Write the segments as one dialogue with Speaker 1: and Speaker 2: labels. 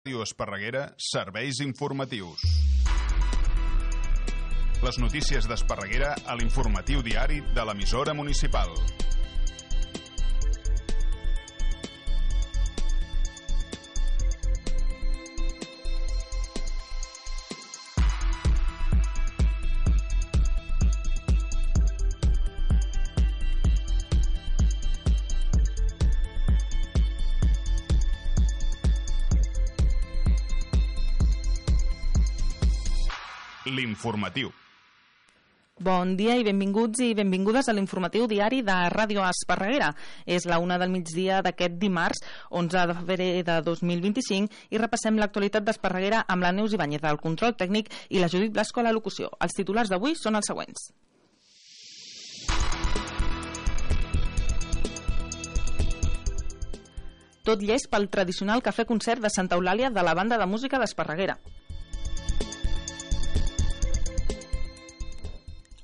Speaker 1: Ràdio Esparreguera, serveis informatius. Les notícies d'Esparreguera a l'informatiu diari de l'emissora municipal. L'informatiu.
Speaker 2: Bon dia i benvinguts i benvingudes a l'informatiu diari de Ràdio Esparreguera. És la 1 del migdia d'aquest dimarts, 11 de febrer de 2025, i repassem l'actualitat d'Esparreguera amb la Neus Ibáñez del control tècnic i la Judit Blasco a la locució. Els titulars d'avui són els següents. Tot llest pel tradicional cafè-concert de Santa Eulàlia de la banda de música d'Esparreguera.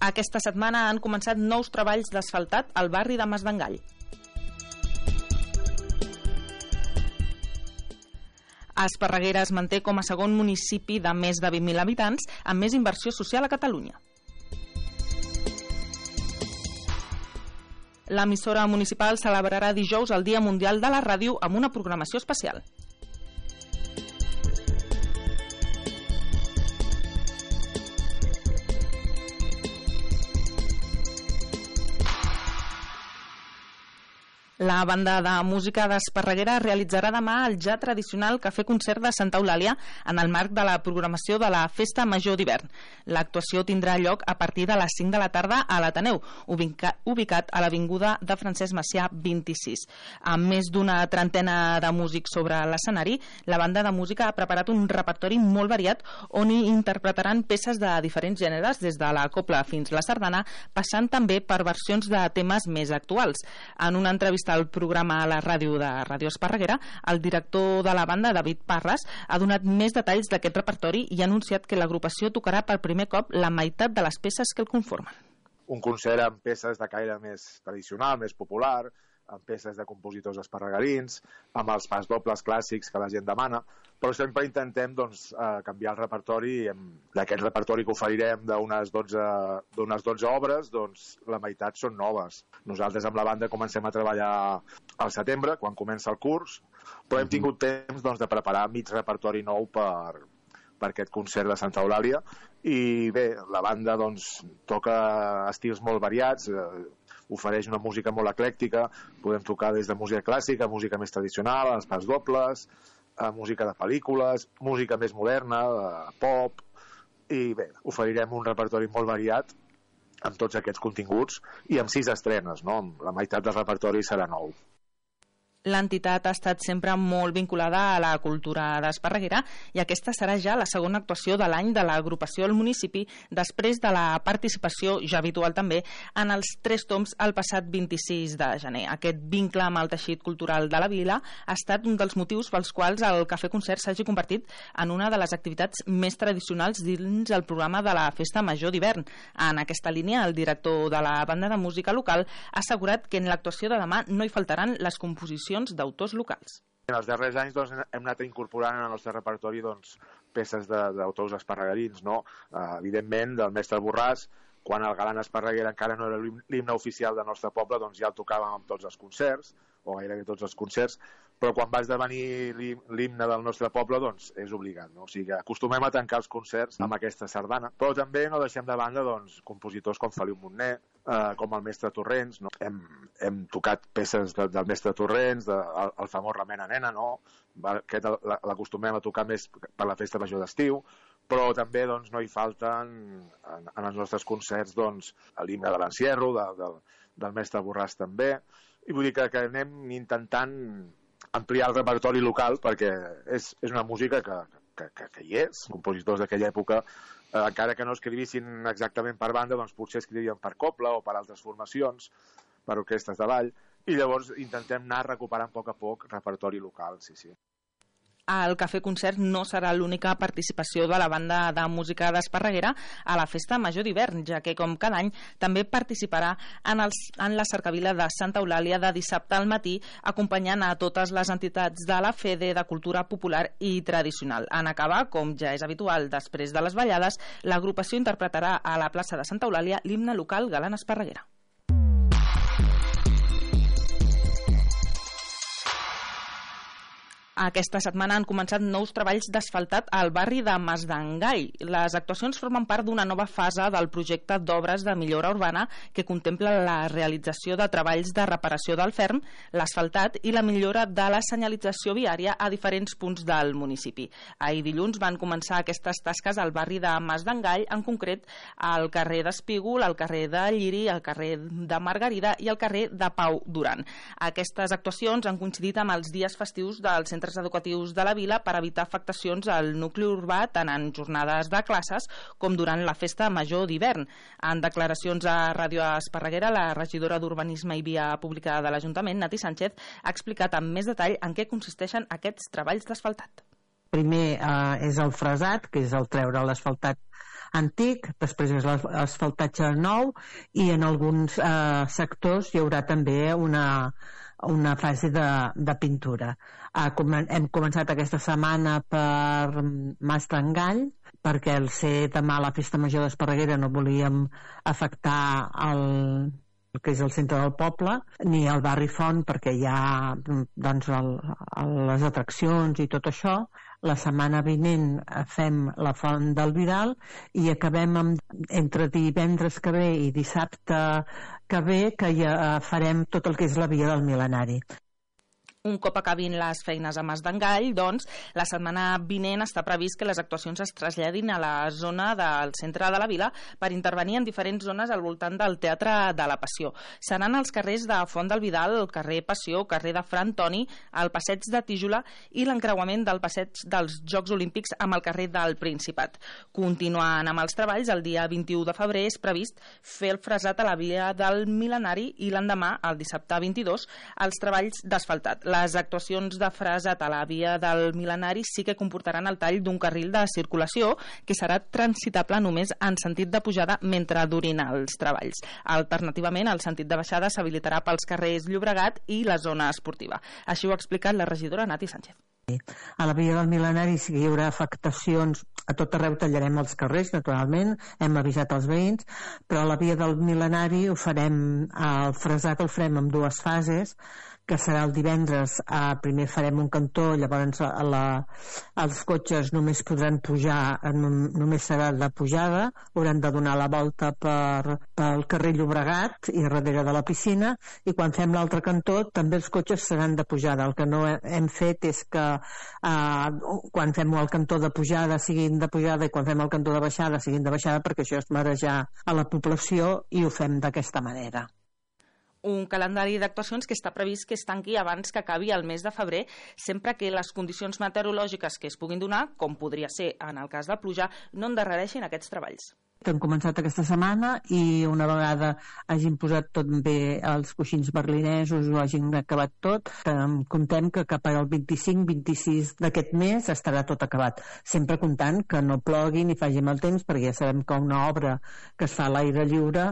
Speaker 2: Aquesta setmana han començat nous treballs d'asfaltat al barri de Masdengall. Esparreguera es manté com a segon municipi de més de 20.000 habitants amb més inversió social a Catalunya. L'emissora municipal celebrarà dijous el Dia Mundial de la Ràdio amb una programació especial. La banda de música d'Esparreguera realitzarà demà el ja tradicional cafè-concert de Santa Eulàlia en el marc de la programació de la Festa Major d'Hivern. L'actuació tindrà lloc a partir de les 5 de la tarda a l'Ateneu, ubicat a l'avinguda de Francesc Macià 26. Amb més d'una trentena de músics sobre l'escenari, la banda de música ha preparat un repertori molt variat on hi interpretaran peces de diferents gèneres, des de la copla fins a la sardana, passant també per versions de temes més actuals. En una entrevista al programa a la ràdio de Ràdio Esparreguera, el director de la banda, David Parras, ha donat més detalls d'aquest repertori i ha anunciat que l'agrupació tocarà per primer cop la meitat de les peces que el conformen.
Speaker 3: Un concert amb peces de caire més tradicional, més popular, amb peces de compositors esparregarins, amb els pas dobles clàssics que la gent demana, però sempre intentem canviar el repertori. D'aquest repertori que oferirem d'unes 12 obres, la meitat són noves. Nosaltres amb la banda comencem a treballar al setembre, quan comença el curs, però hem tingut temps de preparar mig repertori nou per aquest concert de Santa Eulàlia. I bé, la banda toca estils molt variats, ofereix una música molt eclèctica, podem tocar des de música clàssica, música més tradicional, els pas dobles, música de pel·lícules, música més moderna, pop, i bé, oferirem un repertori molt variat amb tots aquests continguts i amb 6 estrenes, no? La meitat del repertori serà nou.
Speaker 2: L'entitat ha estat sempre molt vinculada a la cultura d'Esparreguera i aquesta serà ja la segona actuació de l'any de l'agrupació al municipi després de la participació, ja habitual també, en els 3 tombs el passat 26 de gener. Aquest vincle amb el teixit cultural de la vila ha estat un dels motius pels quals el cafè-concert s'hagi convertit en una de les activitats més tradicionals dins el programa de la Festa Major d'Hivern. En aquesta línia, el director de la banda de música local ha assegurat que en l'actuació de demà no hi faltaran les composicions d'autors locals.
Speaker 3: En els darrers anys hem anat incorporant en el nostre repertori peces d'autors esparregarins, no? Evidentment, del mestre Borràs, quan el Galant Esparreguera encara no era l'himne oficial del nostre poble, ja el tocàvem en tots els concerts, o gairebé tots els concerts, però quan va esdevenir l'himne del nostre poble, és obligat, no? O sigui que acostumem a tancar els concerts amb aquesta sardana, però també no deixem de banda compositors com Feliu Montner, com el mestre Torrents, no? Hem tocat peces del mestre Torrents, el famós Remena Nena, no? Aquest l'acostumem a tocar més per la festa major d'estiu, però també no hi falten en els nostres concerts l'himne de l'encierro, del mestre Borràs també, i vull dir que anem intentant ampliar el repertori local perquè és una música que hi és. Compositors d'aquella època, encara que no escrivissin exactament per banda, potser escrivien per copla o per altres formacions, per orquestres de ball, i llavors intentem anar recuperant a poc repertori local, sí.
Speaker 2: El Cafè Concert no serà l'única participació de la banda de música d'Esparreguera a la Festa Major d'hivern, ja que, com cada any, també participarà en la cercavila de Santa Eulàlia de dissabte al matí, acompanyant a totes les entitats de la FEDE de cultura popular i tradicional. En acabar, com ja és habitual després de les ballades, l'agrupació interpretarà a la plaça de Santa Eulàlia l'himne local Galant Esparreguera. Aquesta setmana han començat nous treballs d'asfaltat al barri de Masdengai. Les actuacions formen part d'una nova fase del projecte d'obres de millora urbana que contempla la realització de treballs de reparació del ferm, l'asfaltat i la millora de la senyalització viària a diferents punts del municipi. Ahir dilluns van començar aquestes tasques al barri de Masdengai, en concret al carrer d'Espígol, al carrer de Lliri, al carrer de Margarida i al carrer de Pau Duran. Aquestes actuacions han coincidit amb els dies festius del centre educatius de la vila per evitar afectacions al nucli urbà tant en jornades de classes com durant la Festa Major d'hivern. En declaracions a Ràdio Esparreguera, la regidora d'Urbanisme i Via Pública de l'Ajuntament, Nati Sánchez, ha explicat amb més detall en què consisteixen aquests treballs d'asfaltat.
Speaker 4: Primer és el fresat, que és el treure l'asfaltat antic, després és l'asfaltatge nou i en alguns sectors hi haurà també una fase de pintura. Hem començat aquesta setmana per Masdengai, perquè al ser demà la Festa Major d'Esparreguera no volíem afectar el que és el centre del poble, ni el barri Font, perquè hi ha doncs, les atraccions i tot això. La setmana vinent fem la Font del Vidal i acabem entre divendres que ve i dissabte que ve, que ja farem tot el que és la Via del Mil·lenari.
Speaker 2: Un cop acabin les feines a Masdengai, doncs, la setmana vinent està previst que les actuacions es traslladin a la zona del centre de la vila per intervenir en diferents zones al voltant del Teatre de la Passió. Seran els carrers de Font del Vidal, el carrer Passió, carrer de Fra Antoni, el passeig de Tíjola i l'encreuament del passeig dels Jocs Olímpics amb el carrer del Principat. Continuant amb els treballs, el dia 21 de febrer és previst fer el fresat a la Via del Mil·lenari i l'endemà, el dissabte 22, els treballs d'asfaltat. Les actuacions de fresat a la Via del Mil·lenari sí que comportaran el tall d'un carril de circulació que serà transitable només en sentit de pujada mentre durin els treballs. Alternativament, el sentit de baixada s'habilitarà pels carrers Llobregat i la zona esportiva. Així ho ha explicat la regidora Nati Sánchez.
Speaker 4: A la Via del Mil·lenari sí que hi haurà afectacions, a tot arreu tallarem els carrers, naturalment, hem avisat els veïns, però a la Via del Mil·lenari ho farem, el fresat el farem en dues fases, que serà el divendres. Primer farem un cantó, llavors els cotxes només podran pujar, només serà de pujada, hauran de donar la volta pel carrer Llobregat i darrere de la piscina, i quan fem l'altre cantó també els cotxes seran de pujada. El que no hem fet és que quan fem el cantó de pujada siguin de pujada i quan fem el cantó de baixada siguin de baixada, perquè això és marejar a la població i ho fem d'aquesta manera.
Speaker 2: Un calendari d'actuacions que està previst que es tanqui abans que acabi el mes de febrer, sempre que les condicions meteorològiques que es puguin donar, com podria ser en el cas de pluja, no endarrereixin aquests treballs.
Speaker 4: Hem començat aquesta setmana i una vegada hagin posat tot bé els coixins berlinesos o hagin acabat tot, comptem que cap al 25-26 d'aquest mes estarà tot acabat, sempre comptant que no plogui ni faci mal temps, perquè ja sabem que una obra que es fa a l'aire lliure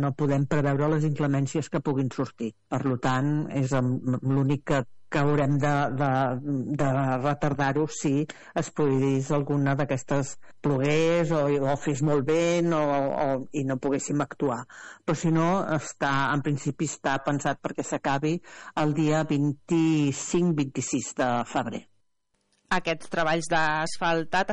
Speaker 4: no podem preveure les inclemències que puguin sortir. Per tant, és l'únic que haurem de retardar-ho si es produís alguna d'aquestes plogués o fes molt vent i no poguéssim actuar. Però si no, en principi està pensat perquè s'acabi el dia 25-26 de febrer.
Speaker 2: Aquests treballs d'asfaltat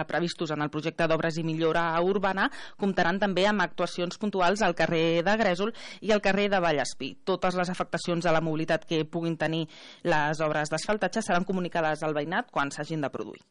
Speaker 2: previstos en el projecte d'obres i millora urbana comptaran també amb actuacions puntuals al carrer de Grèsol i al carrer de Vallespí. Totes les afectacions a la mobilitat que puguin tenir les obres d'asfaltatge seran comunicades al veïnat quan s'hagin de produir.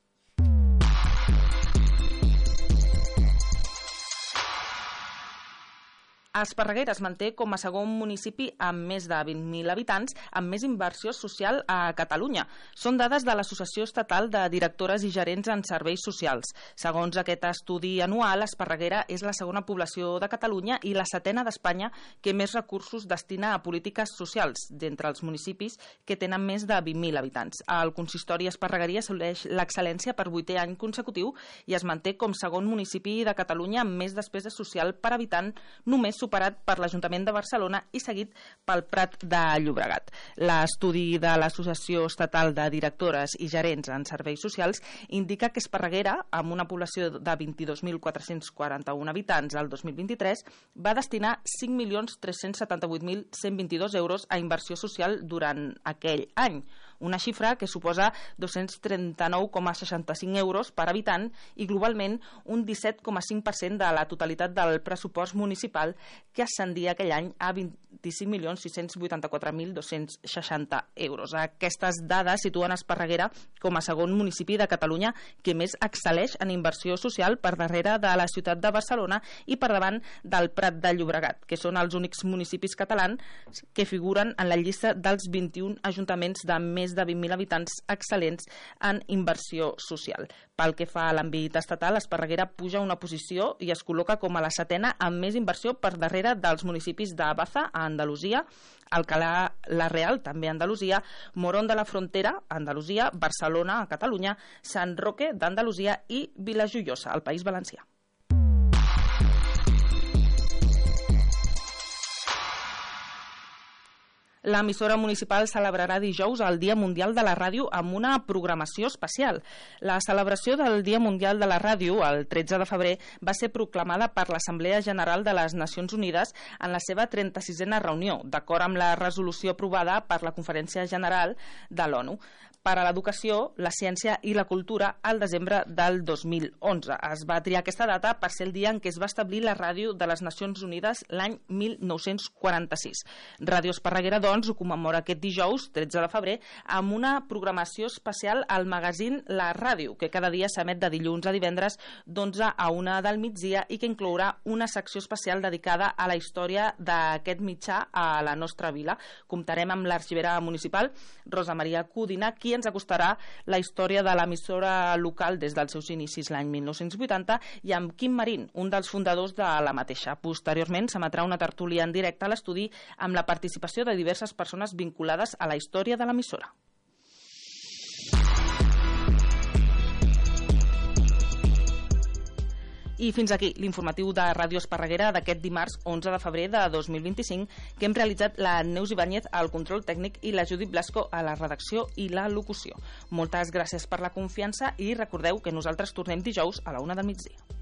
Speaker 2: Esparreguera es manté com a segon municipi amb més de 20.000 habitants amb més inversió social a Catalunya. Són dades de l'Associació Estatal de Directores i Gerents en Serveis Socials. Segons aquest estudi anual, Esparreguera és la segona població de Catalunya i la setena d'Espanya que més recursos destina a polítiques socials d'entre els municipis que tenen més de 20.000 habitants. El consistori esparreguerí assoleix l'excel·lència per 8è any consecutiu i es manté com segon municipi de Catalunya amb més despesa social per habitant, només superat per l'Ajuntament de Barcelona i seguit pel Prat de Llobregat. L'estudi de l'Associació Estatal de Directores i Gerents en Serveis Socials indica que Esparreguera, amb una població de 22.441 habitants al 2023, va destinar 5.378.122 euros a inversió social durant aquell any, una xifra que suposa 239,65 euros per habitant i globalment un 17,5% de la totalitat del pressupost municipal, que ascendia aquell any a 25.684.260 euros. Aquestes dades situen Esparreguera com a segon municipi de Catalunya que més excel·leix en inversió social per darrere de la ciutat de Barcelona i per davant del Prat de Llobregat, que són els únics municipis catalans que figuren en la llista dels 21 ajuntaments de més de 20.000 habitants excel·lents en inversió social. Pel que fa a l'àmbit estatal, Esparreguera puja una posició i es col·loca com a la setena amb més inversió per darrere dels municipis de Baza, a Andalusia, Alcalá la Real, també a Andalusia, Morón de la Frontera, a Andalusia, Barcelona, a Catalunya, Sant Roque d'Andalusia i Vilajoiosa, al País Valencià. L'emissora municipal celebrarà dijous el Dia Mundial de la Ràdio amb una programació especial. La celebració del Dia Mundial de la Ràdio, el 13 de febrer, va ser proclamada per l'Assemblea General de les Nacions Unides en la seva 36a reunió, d'acord amb la resolució aprovada per la Conferència General de l'ONU per a l'Educació, la Ciència i la Cultura al desembre del 2011. Es va triar aquesta data per ser el dia en què es va establir la Ràdio de les Nacions Unides l'any 1946. Ràdio Esparreguera, doncs, ho commemora aquest dijous, 13 de febrer, amb una programació especial al magazín La Ràdio, que cada dia s'emet de dilluns a divendres d'11 a 1 del migdia i que inclourà una secció especial dedicada a la història d'aquest mitjà a la nostra vila. Comptarem amb l'arxivera municipal, Rosa Maria Codina, qui ens acostarà la història de l'emissora local des dels seus inicis l'any 1980 i amb Quim Marín, un dels fundadors de la mateixa. Posteriorment s'emetrà una tertúlia en directe a l'estudi amb la participació de diverses persones vinculades a la història de l'emissora. I fins aquí l'informatiu de Ràdio Esparreguera d'aquest dimarts 11 de febrer de 2025 que hem realitzat la Neus Ibáñez al control tècnic i la Judit Blasco a la redacció i la locució. Moltes gràcies per la confiança i recordeu que nosaltres tornem dijous a la 1 del migdia.